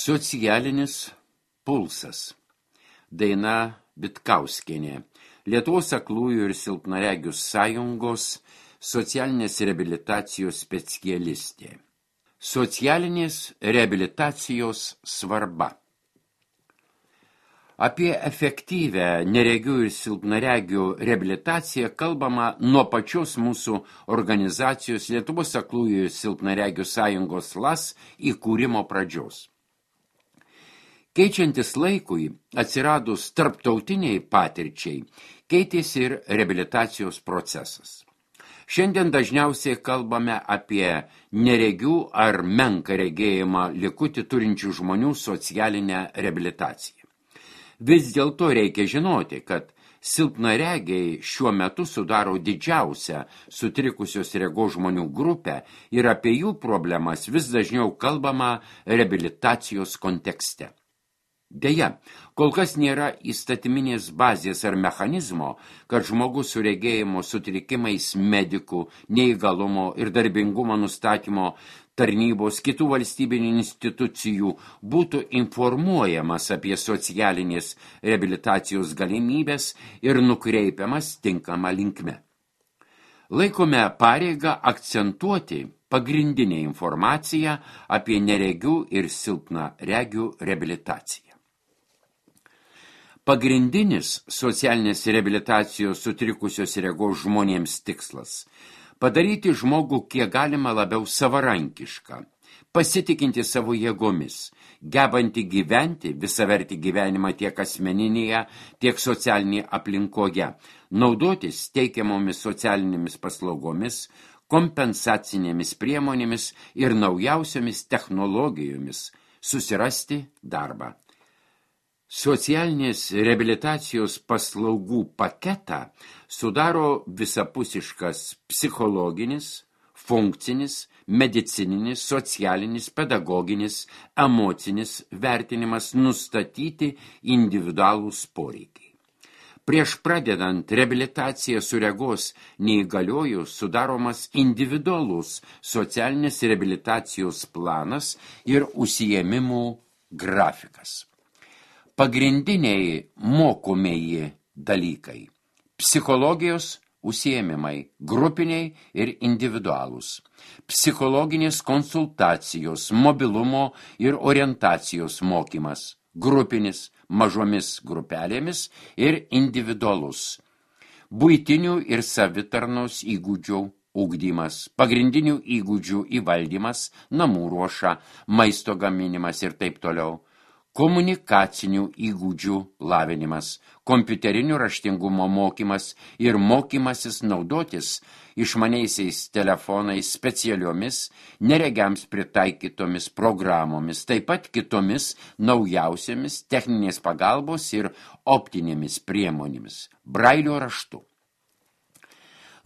Socialinis pulsas. Daina Bitkauskienė. Lietuvos aklųjų ir silpnaregių sąjungos socialinės reabilitacijos specialistė. Socialinės reabilitacijos svarba. Apie efektyvę neregių ir silpnaregių reabilitaciją kalbama nuo pačios mūsų organizacijos Lietuvos aklųjų ir silpnaregių sąjungos LAS įkūrimo pradžios. Keičiantis laikui, atsiradus tarptautiniai patirčiai, keitėsi ir reabilitacijos procesas. Šiandien dažniausiai kalbame apie neregių ar menką regėjimą likutį turinčių žmonių socialinę reabilitaciją. Vis dėlto reikia žinoti, kad silpnaregiai šiuo metu sudaro didžiausią sutrikusios regos žmonių grupę ir apie jų problemas vis dažniau kalbama reabilitacijos kontekste. Deja, kol kas nėra įstatyminės bazės ar mechanizmo, kad žmogus su regėjimo sutrikimais medikų, neįgalumo ir darbingumo nustatymo tarnybos kitų valstybinių institucijų būtų informuojamas apie socialinės reabilitacijos galimybės ir nukreipiamas tinkama linkme. Laikome pareigą akcentuoti pagrindinę informaciją apie neregių ir silpnaregių reabilitaciją. Pagrindinis socialinės reabilitacijos sutrikusios regos žmonėms tikslas – padaryti žmogų kiek galima labiau savarankišką, pasitikinti savo jėgomis, gebanti gyventi visavertį gyvenimą tiek asmeninėje, tiek socialinėje aplinkoje, naudotis teikiamomis socialinėmis paslaugomis, kompensacinėmis priemonėmis ir naujausiomis technologijomis, susirasti darbą. Socialinės reabilitacijos paslaugų paketą sudaro visapusiškas psichologinis, funkcinis, medicininis, socialinis, pedagoginis, emocinis vertinimas nustatyti individualūs poreikiai. Prieš pradedant reabilitaciją su regos neįgalioju sudaromas individualus socialinės reabilitacijos planas ir užsiėmimų grafikas. Pagrindiniai mokomieji dalykai – psichologijos užsiėmimai, grupiniai ir individualūs, psichologinės konsultacijos, mobilumo ir orientacijos mokymas, grupinis, mažomis grupelėmis ir individualus, buitinių ir savitarnos įgūdžių ugdymas, pagrindinių įgūdžių įvaldymas, namų ruoša, maisto gaminimas ir taip toliau, komunikacinių įgūdžių lavinimas, kompiuterinių raštingumo mokymas ir mokymasis naudotis išmaniaisiais telefonais specialiomis, neregiams pritaikytomis programomis, taip pat kitomis naujausiamis techninės pagalbos ir optinėmis priemonėmis, brailio raštu.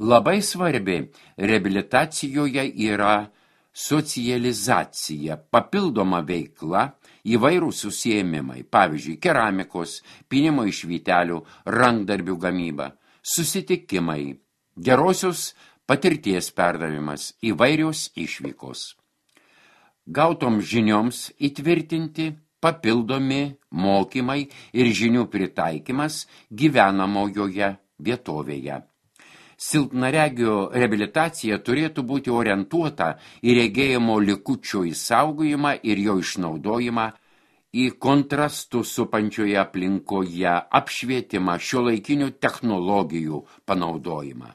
Labai svarbi reabilitacijoje yra socializacija, papildoma veikla, įvairūs užsiėmimai, pavyzdžiui, keramikos, pynimo iš vytelių, rankdarbių gamyba, susitikimai, gerosios patirties perdavimas, įvairios išvykos. Gautoms žinioms įtvirtinti papildomi mokymai ir žinių pritaikymas gyvenamojoje vietovėje. Silpnaregio reabilitacija turėtų būti orientuota į regėjimo likučio išsaugojimą ir jo išnaudojimą, į kontrastų supančioje aplinkoje apšvietimą, šiuolaikinių technologijų panaudojimą.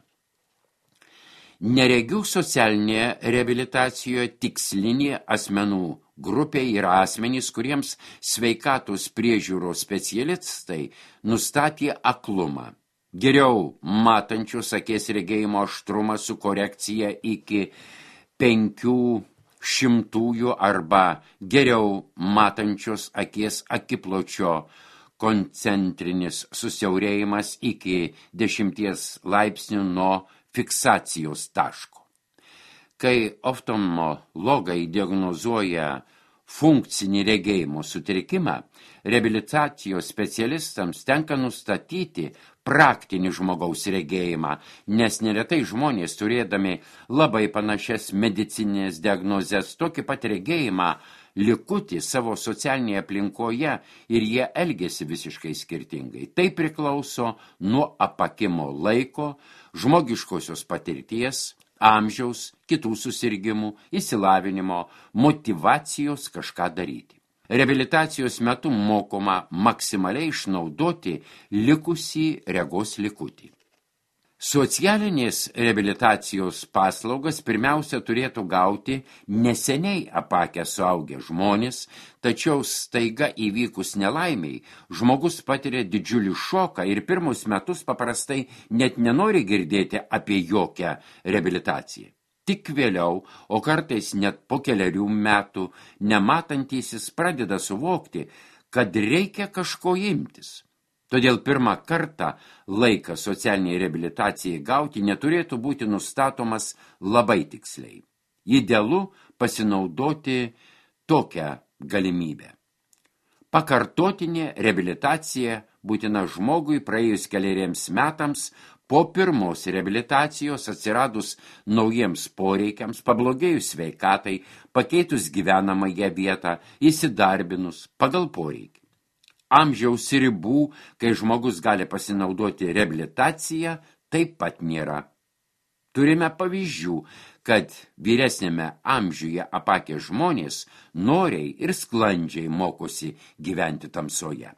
Neregių socialinėje reabilitacijoje tikslinė asmenų grupė yra asmenys, kuriems sveikatos priežiūros specialistai nustatė aklumą. Geriau matančios akies regėjimo aštrumą su korekcija iki 500 arba geriau matančios akies akipločio koncentrinis susiaurėjimas iki 10 laipsnių nuo fiksacijos taško. Kai oftalmologai diagnozuoja funkcinį regėjimo sutrikimą, reabilitacijos specialistams tenka nustatyti praktinį žmogaus regėjimą, nes neretai žmonės, turėdami labai panašias medicininės diagnozes, tokį pat regėjimą likutį savo socialinėje aplinkoje ir jie elgiasi visiškai skirtingai. Tai priklauso nuo apakimo laiko, žmogiškosios patirties, amžiaus, kitų susirgimų, išsilavinimo, motyvacijos kažką daryti. Reabilitacijos metu mokoma maksimaliai išnaudoti likusį regos likutį. Socialinės reabilitacijos paslaugas pirmiausia turėtų gauti neseniai apakę suaugę žmonės, tačiau staiga įvykus nelaimiai, žmogus patiria didžiulį šoką ir pirmus metus paprastai net nenori girdėti apie jokią reabilitaciją. Tik vėliau, o kartais net po kelerių metų, nematantysis pradeda suvokti, kad reikia kažko imtis. Todėl pirmą kartą laikas socialiniai reabilitacijai gauti neturėtų būti nustatomas labai tiksliai. Idealu pasinaudoti tokią galimybę. Pakartotinė reabilitacija būtina žmogui praėjus keleriems metams po pirmos reabilitacijos atsiradus naujiems poreikiams, pablogėjus sveikatai, pakeitus gyvenamąją vietą, įsidarbinus pagal poreikį. Amžiaus ribų, kai žmogus gali pasinaudoti reabilitaciją, taip pat nėra. Turime pavyzdžių, kad vyresnėme amžiuje apakę žmonės noriai ir sklandžiai mokosi gyventi tamsoje.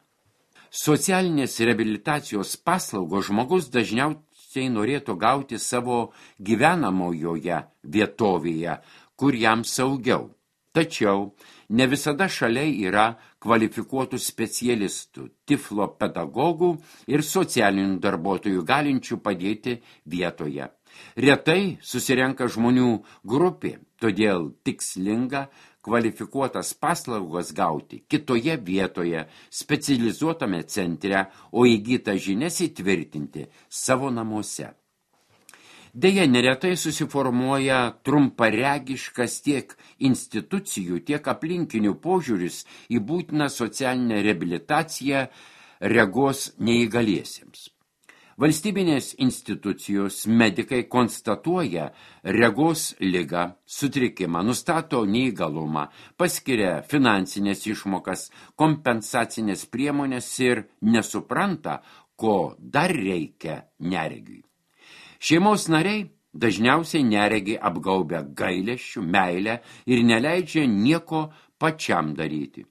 Socialinės reabilitacijos paslaugos žmogus dažniausiai norėtų gauti savo gyvenamojoje vietovėje, kur jam saugiau. Tačiau ne visada šalia yra kvalifikuotų specialistų, tiflo pedagogų ir socialinių darbuotojų galinčių padėti vietoje. Retai susirenka žmonių grupė, todėl tikslinga kvalifikuotas paslaugas gauti kitoje vietoje, specializuotame centre, o įgytą žinias įtvirtinti savo namuose. Deja, neretai susiformuoja trumparegiškas tiek institucijų, tiek aplinkinių požiūris į būtiną socialinę reabilitaciją regos neįgaliesiems. Valstybinės institucijos medikai konstatuoja regos ligą, sutrikimą, nustato neįgalumą, paskiria finansinės išmokas, kompensacinės priemonės ir nesupranta, ko dar reikia neregiui. Šeimos nariai dažniausiai neregi apgaubia gailesčių, meilę ir neleidžia nieko pačiam daryti.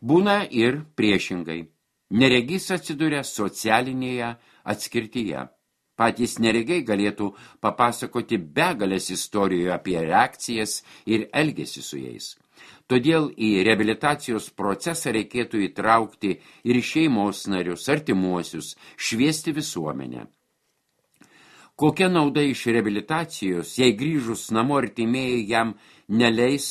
Būna ir priešingai. Neregys atsiduria socialinėje atskirtyje. Patys neregiai galėtų papasakoti begalės istorijų apie reakcijas ir elgesį su jais. Todėl į reabilitacijos procesą reikėtų įtraukti ir šeimos narius, artimuosius, šviesti visuomenę. Kokia nauda iš reabilitacijos, jei grįžus namo artimieji jam neleis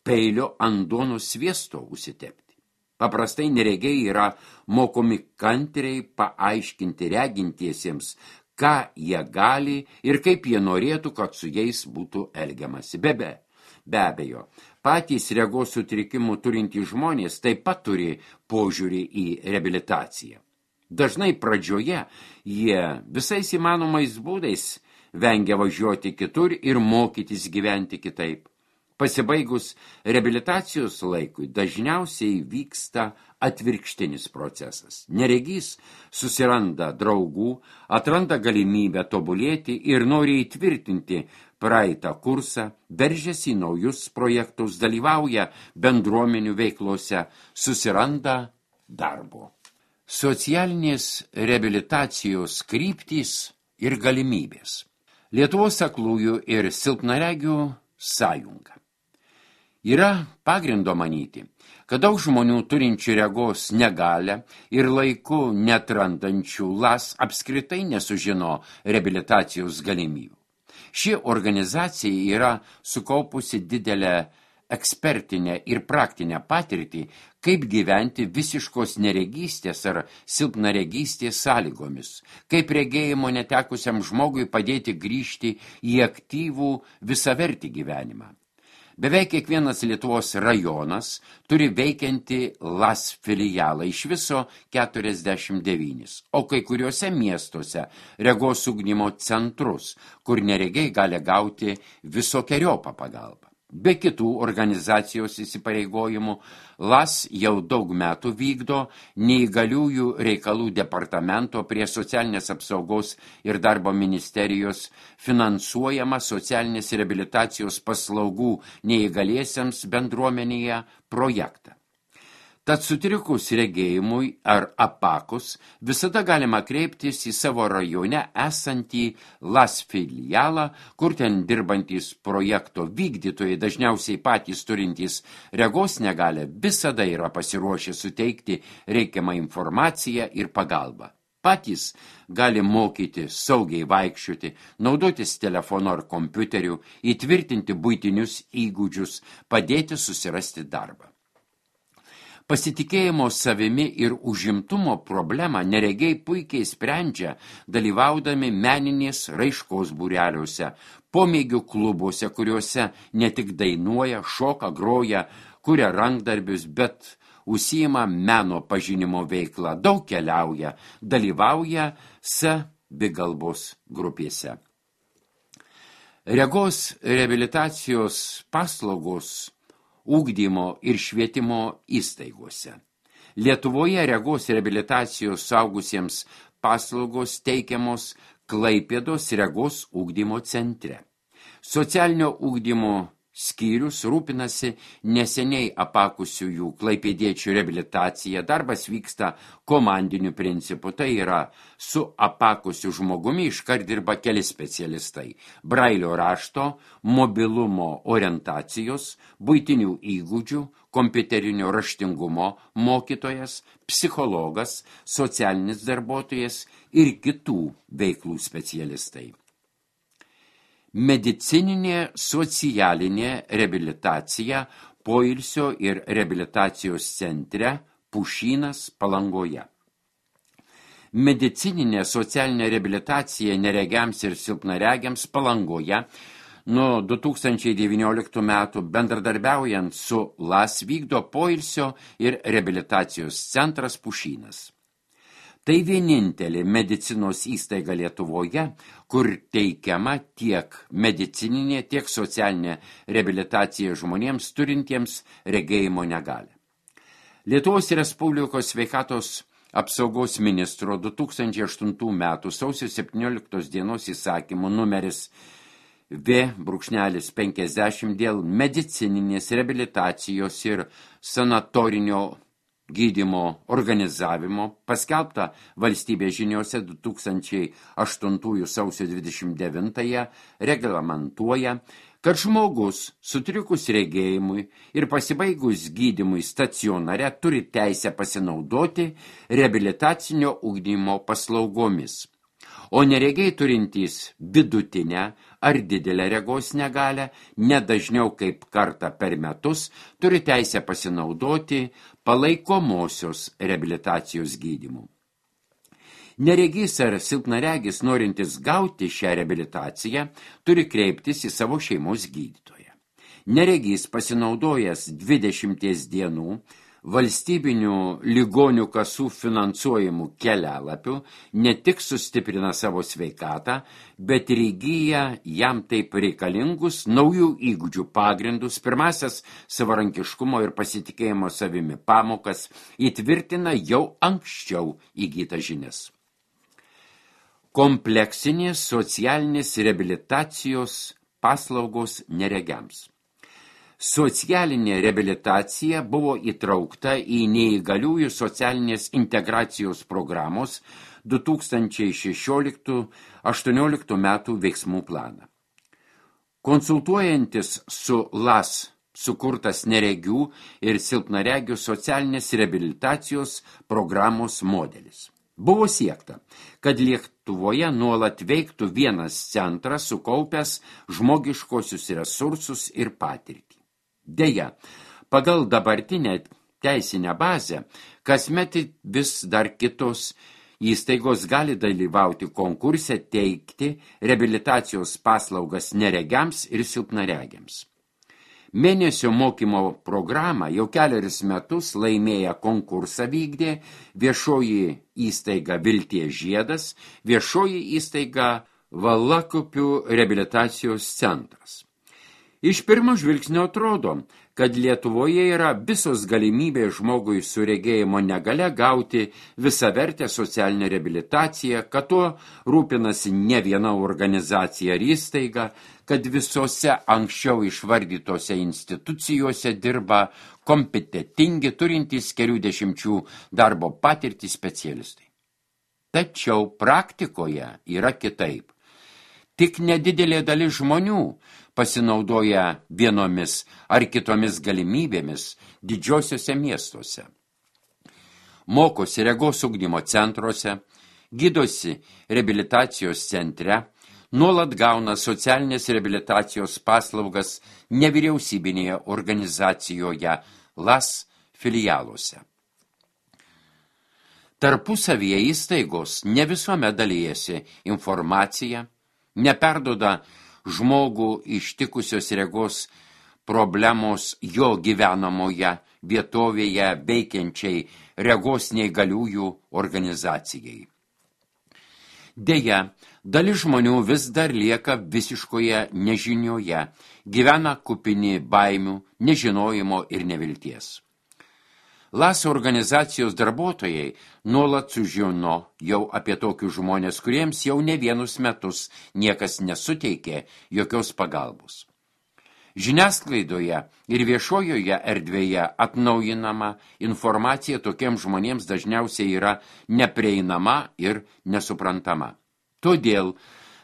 peilio ant duonos sviesto užsitepti? Paprastai neregiai yra mokomi kantriai paaiškinti regintiesiems, ką jie gali ir kaip jie norėtų, kad su jais būtų elgiamasi. Be abejo, patys regos sutrikimų turintys žmonės taip pat turi požiūrį į reabilitaciją. Dažnai pradžioje jie visais įmanomais būdais vengia važiuoti kitur ir mokytis gyventi kitaip. Pasibaigus reabilitacijos laikui dažniausiai vyksta atvirkštinis procesas. Neregys susiranda draugų, atranda galimybę tobulėti ir nori įtvirtinti praeitą kursą, veržiasi į naujus projektus, dalyvauja bendruomenių veiklose, susiranda darbo. Socialinės reabilitacijos kryptys ir galimybės. Lietuvos aklųjų ir silpnaregių sąjunga. Yra pagrindo manyti, kad daug žmonių turinčių regos negalią ir laiku netrandančių LAS apskritai nesužino reabilitacijos galimybių. Ši organizacija yra sukaupusi didelę ekspertinę ir praktinę patirtį, kaip gyventi visiškos neregystės ar silpnaregystės sąlygomis, kaip regėjimo netekusiam žmogui padėti grįžti į aktyvų visavertį gyvenimą. Beveik kiekvienas Lietuvos rajonas turi veikiantį LAS filialą, iš viso 49, o kai kuriuose miestuose regos ugdymo centrus, kur neregiai gali gauti visokeriopą pagalbą. Be kitų organizacijos įsipareigojimų, LAS jau daug metų vykdo neįgaliųjų reikalų departamento prie socialinės apsaugos ir darbo ministerijos finansuojama socialinės reabilitacijos paslaugų neįgaliesiems bendruomenėje projektą. Tad sutrikus regėjimui ar apakus visada galima kreiptis į savo rajone esantį LAS filialą, kur ten dirbantys projekto vykdytojai, dažniausiai patys turintys regos negalią, visada yra pasiruošę suteikti reikiamą informaciją ir pagalbą. Patys gali mokyti saugiai vaikščioti, naudotis telefonu ar kompiuteriu, įtvirtinti buitinius įgūdžius, padėti susirasti darbą. Pasitikėjimo savimi ir užimtumo problemą neregiai puikiai sprendžia, dalyvaudami meninės raiškos būreliuose, pomėgių klubuose, kuriuose ne tik dainuoja, šoka, groja, kuria rankdarbius, bet užsiima meno pažinimo veiklą, daug keliauja, dalyvauja savigalbos grupėse. Regos reabilitacijos paslaugos ugdymo ir švietimo įstaigose. Lietuvoje regos reabilitacijos suaugusiems paslaugos teikiamos Klaipėdos regos ugdymo centre. Socialinio ugdymo skyrius rūpinasi neseniai apakusiųjų klaipėdiečių reabilitacija. Darbas vyksta komandiniu principu, tai yra su apakusiu žmogumi iškart dirba keli specialistai. Brailio rašto, mobilumo orientacijos, buitinių įgūdžių, kompiuterinio raštingumo mokytojas, psichologas, socialinis darbuotojas ir kitų veiklų specialistai. Medicininė socialinė reabilitacija poilsio ir reabilitacijos centre Pušynas Palangoje. Medicininė socialinė reabilitacija neregiams ir silpnaregiams Palangoje nuo 2019 metų bendradarbiaujant su LAS vykdo poilsio ir reabilitacijos centras Pušynas. Tai vienintelė medicinos įstaiga Lietuvoje, kur teikiama tiek medicininė, tiek socialinė reabilitacija žmonėms turintiems regėjimo negalią. Lietuvos Respublikos sveikatos apsaugos ministro 2008 metų sausio 17 dienos įsakymu numeris V-50 dėl medicininės reabilitacijos ir sanatorinio gydymo organizavimo paskelbta valstybės žiniose 2008 sausio 29 reglamentuoja, kad žmogus sutrikus regėjimui ir pasibaigus gydymui stacionare turi teisę pasinaudoti reabilitacinio ugdymo paslaugomis, o neregiai turintys vidutinę ar didelę regos negalią, nedažniau kaip kartą per metus, turi teisę pasinaudoti palaikomosios reabilitacijos gydymu. Neregys ar silpnaregis norintis gauti šią reabilitaciją, turi kreiptis į savo šeimos gydytoją. Neregys pasinaudojęs 20 dienų valstybinių ligonių kasų finansuojamų kelialapių ne tik sustiprina savo sveikatą, bet ir įgyja jam taip reikalingus naujų įgūdžių pagrindus, pirmasias savarankiškumo ir pasitikėjimo savimi pamokas, įtvirtina jau anksčiau įgytas žinias. Kompleksinės socialinės reabilitacijos paslaugos neregiams. Socialinė reabilitacija buvo įtraukta į neįgaliųjų socialinės integracijos programos 2016-18 metų veiksmų planą. Konsultuojantis su LAS sukurtas neregių ir silpnaregių socialinės reabilitacijos programos modelis. Buvo siekta, kad Lietuvoje nuolat veiktų vienas centras sukaupęs žmogiškosius resursus ir patirtį. Deja, pagal dabartinę teisinę bazę, kasmet vis dar kitos įstaigos gali dalyvauti konkurse teikti reabilitacijos paslaugas neregiams ir silpnaregiams. Mėnesio mokymo programą jau kelerius metus laimėję konkursą vykdė viešoji įstaiga Vilties žiedas, viešoji įstaiga Valakupių reabilitacijos centras. Iš pirmo žvilgsnio atrodo, kad Lietuvoje yra visos galimybės žmogui su regėjimo negale gauti visavertę socialinę reabilitaciją, kad tuo rūpinasi ne viena organizacija ar įstaiga, kad visose anksčiau išvardytose institucijose dirba kompetentingi, turintys kelių dešimčių darbo patirtį specialistai. Tačiau praktikoje yra kitaip. Tik nedidelė dalis žmonių pasinaudoja vienomis ar kitomis galimybėmis didžiosiuose miestuose. Mokosi regos ugdymo centruose, gydosi reabilitacijos centre, nuolat gauna socialinės reabilitacijos paslaugas nevyriausybinėje organizacijoje LAS filialuose. Tarpusavyje įstaigos ne visuomet dalijasi informaciją, neperduoda žmogų ištikusios regos problemos jo gyvenamoje vietovėje veikiančiai regos neįgaliųjų organizacijai. Deja, dalis žmonių vis dar lieka visiškoje nežinioje, gyvena kupini baimių, nežinojimo ir nevilties. LAS organizacijos darbuotojai nuolat sužino jau apie tokius žmonės, kuriems jau ne vienus metus niekas nesuteikė jokios pagalbos. Žiniasklaidoje ir viešojoje erdvėje atnaujinama informacija tokiems žmonėms dažniausiai yra neprieinama ir nesuprantama. Todėl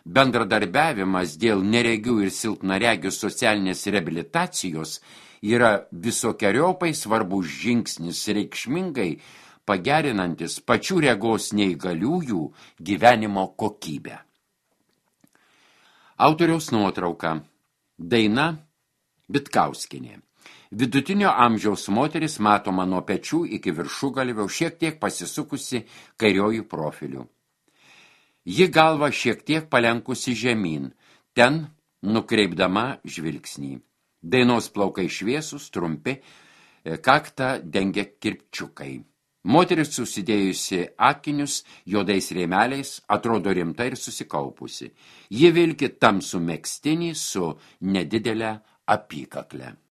bendradarbiavimas dėl neregių ir silpnaregių socialinės reabilitacijos yra visokeriaupai svarbus žingsnis reikšmingai pagerinantis pačių regos neįgaliųjų gyvenimo kokybę. Autoriaus nuotrauka. Daina Vitkauskienė. Vidutinio amžiaus moteris matoma nuo pečių iki viršugalvio, šiek tiek pasisukusi kairiojų profiliu. Ji galva šiek tiek palenkusi žemyn, ten nukreipdama žvilgsnį. Dainos plaukai šviesūs, trumpi, kaktą dengia kirpčiukai. Moteris susidėjusi akinius juodais rėmeliais, atrodo rimta ir susikaupusi. Ji vilki tamsų megztinį su nedidelė apykakle.